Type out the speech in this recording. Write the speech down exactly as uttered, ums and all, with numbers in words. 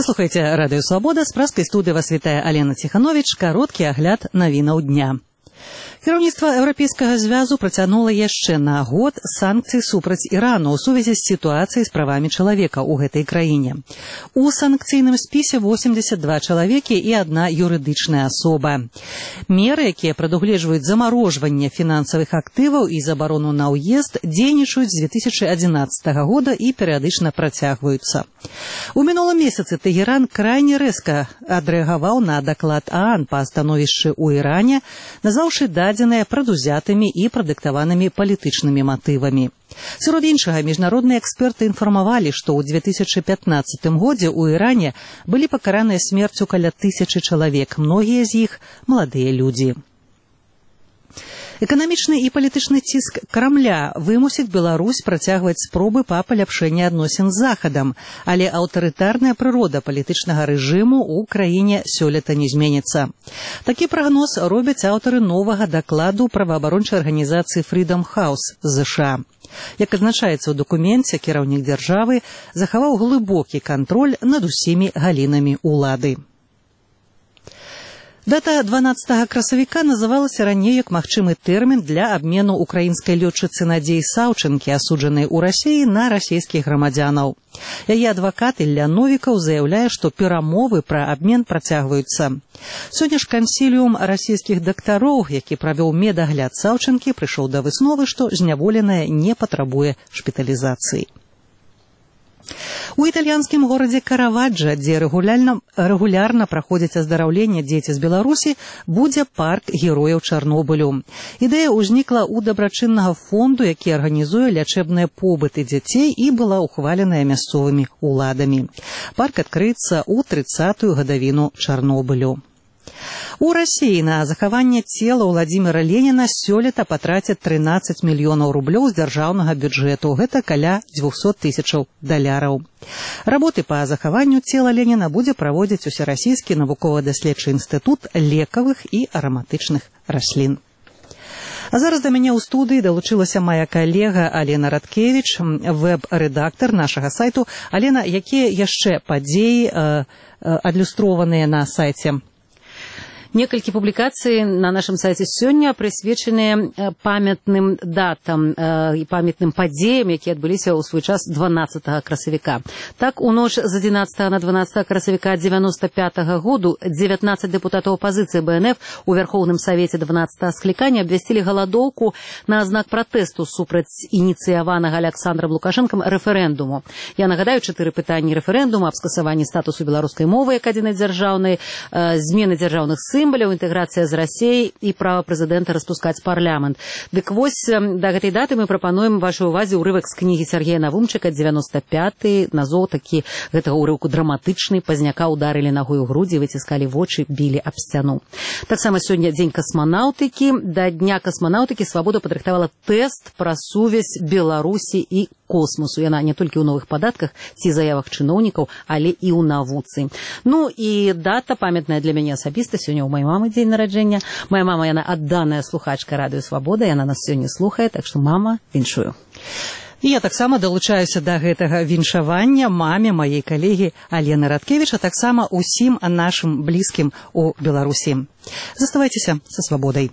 Вы слухаеце Радыё Свабода, з праскай студыі вас вітае Алена Ціхановіч, кароткі агляд навінаў дня. Кіраўніцтва Еўрапейскага звязу працягнула яшчэ на год санкцыі супраць Ірану ў сувязі з сітуацыяй з правамі чалавека ў гэтай краіне. У санкцыйным спісе восемьдесят два чалавекі і адна юрыдычная асоба. Меры, якія прадугледжваюць замарожванне фінансавых актываў і забарону на ўезд, дзейнічаюць з две тысячи адзінаццатага года і перыядычна працягваюцца. У мінулым месяцы Тэгеран крайне рэзка адрэагаваў на даклад ААН па становішчы ў Іране, назваўшы дадзеныя прадузятымі і прадыктаванымі палітычнымі матывамі. Сярод іншага, міжнародныя эксперты інфармавалі, што ў две тысячи пятнаццатым годзе ў Іране былі пакараныя смерцю каля тысячы чалавек, многія з іх маладыя людзі. Эканамічны і палітычны ціск Крамля вымусіць Беларусь працягваць спробы па паляпшэнні адносін з Захадам, але аўтарытарная прырода палітычнага рэжыму ў краіне сёлета не зменіцца. Такі прагноз робяць аўтары новага дакладу праваабарончай арганізацыі Freedom House з ЗША. Як адзначаецца ў дакуменце, кіраўнік дзяржавы захаваў глыбокі кантроль над усімі галінамі ўлады. Дата дванаццатага красавіка называлася раней як магчымы тэрмін для абмену украінскай лётчыцы Надзеі Саўчэнкі, асуджанай у Расіі, на расійскіх грамадзянаў. Яе адвакат Ілля Новікаў заяўляе, што перамовы пра абмен працягваюцца. Сёння ж кансіліум расійскіх дактароў, які правёў медагляд Саўчэнкі, прыйшоў да высновы, што зняволеная не патрабуе шпіталізацыі. У італьянскім горадзе Караваджа, дзе рэгулярна, рэгулярна праходзіць аздараўленне дзеці з Беларусі, будзе парк герояў Чарнобылю. Ідэя ўзнікла ў дабрачыннага фонду, які арганізуе лячэбныя побыты дзяцей і была ўхваленая мясцовымі ўладамі. Парк адкрыецца ў трыццатую гадавіну Чарнобылю. У Расіі на захаванне цела Владзіміра Леніна сёлета патрацяць трынаццаць мільёнаў рублёў з дзяржаўнага бюджэту. Гэта каля дзвюсот тысячаў даляраў. Работы па захаванню цела Леніна будзе праводзіць усерасійскі навукова-даследчы інстытут лекавых і араматычных раслін. А зараз да мяне ў студыі далучылася мая калега Алена Радкевіч, вэб-рэдактар нашага сайту. Алена, якія яшчэ падзеі э, адлюстраваныя на сайце? Некалькі публікацый на нашым сайце сёння прысвечаныя памятным датам і памятным падзеям, якія адбыліся ў свой час дванаццатага красавіка. Так, у ноч з адзінаццатага на дванаццатае красавіка дзевяносто пятага году дзевятнаццаць дэпутатаў апазіцыі Бэ Эн Эф у Вярхоўным Савеце дванаццатага склікання абвясцілі галадоўку на знак пратэсту супраць ініцыяванага Аляксандрам Лукашэнкам рэферэндуму. Я нагадаю чатыры пытанні рэферэндума аб скасаванні статусу беларускай мовы як адзінай дзяржаўнай, змены дзяржаўных сімваляў, інтэграцыя з Расіяй і права прэзідэнта распускаць парламент. Дык вось да гэтай даты мы прапануем вашай увазе ўрывак з кнігі Сергея Навумчыка девяносто пятый, назоў такі гэтага ўрыўку драматычны, пазняка ударылі нагой у грудзі, выціскалі вочы, білі аб сцяну. Таксама сёння дзень касманаўтыкі. Да дня касманаўтыкі Свабода падрыхтавала тэст пра сувязь Беларусі і космосу. Яна не толькі ў новых падатках ці заявах чыноўнікаў, але і ў навуцы. Ну і дата памятная для мяне асабіста. Сёння у маёй мамы дзень нараджэння. Моя мама, яна адданая слухачка Радыё Свабода, яна нас сёння слухае, так што, мама, віншую. І я таксама далучаюся да гэтага віншавання маме маей калегі Алены Радкевіч, а таксама усім нашым блізкім у Беларусі. Заставайцеся са Свабодай.